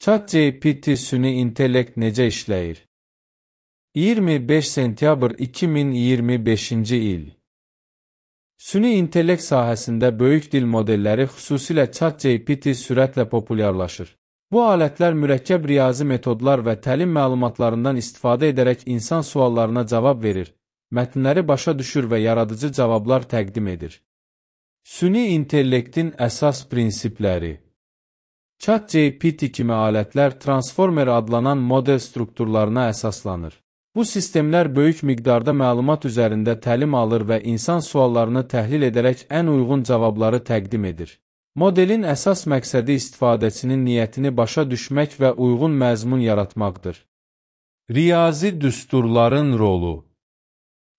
ChatGPT süni intellekt necə işləyir? 25 sentyabr 2025-ci il. Süni intellekt sahəsində böyük dil modelləri, xüsusilə ChatGPT sürətlə populyarlaşır. Bu alətlər mürəkkəb riyazi metodlar və təlim məlumatlarından istifadə edərək insan suallarına cavab verir, mətnləri başa düşür və yaradıcı cavablar təqdim edir. Süni intellektin əsas prinsipləri. ChatGPT kimi alətlər Transformer adlanan model strukturlarına əsaslanır. Bu sistemlər böyük miqdarda məlumat üzərində təlim alır və insan suallarını təhlil edərək ən uyğun cavabları təqdim edir. Modelin əsas məqsədi istifadəçinin niyyətini başa düşmək və uyğun məzmun yaratmaqdır. Riyazi düsturların rolu.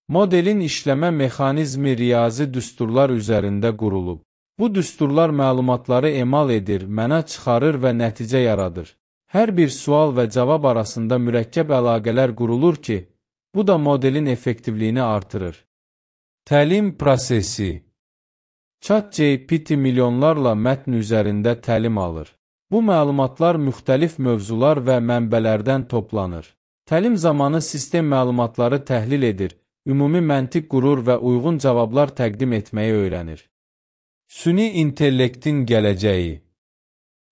Modelin işləmə mexanizmi riyazi düsturlar üzərində qurulub. Bu düsturlar məlumatları emal edir, məna çıxarır və nəticə yaradır. Hər bir sual və cavab arasında mürəkkəb əlaqələr qurulur ki, bu da modelin effektivliyini artırır. Təlim prosesi. ChatGPT milyonlarla mətn üzərində təlim alır. Bu məlumatlar müxtəlif mövzular və mənbələrdən toplanır. Təlim zamanı sistem məlumatları təhlil edir, ümumi məntiq qurur və uyğun cavablar təqdim etməyi öyrənir. Süni intellektin gələcəyi.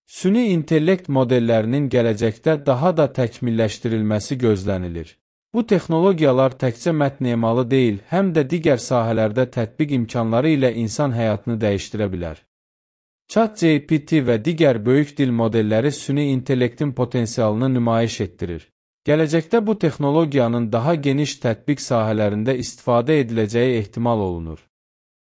Süni intellekt modellərinin gələcəkdə daha da təkmilləşdirilməsi gözlənilir. Bu texnologiyalar təkcə mətn emalı deyil, həm də digər sahələrdə tətbiq imkanları ilə insan həyatını dəyişdirə bilər. ChatGPT və digər böyük dil modelləri süni intellektin potensialını nümayiş etdirir. Gələcəkdə bu texnologiyanın daha geniş tətbiq sahələrində istifadə ediləcəyi ehtimal olunur.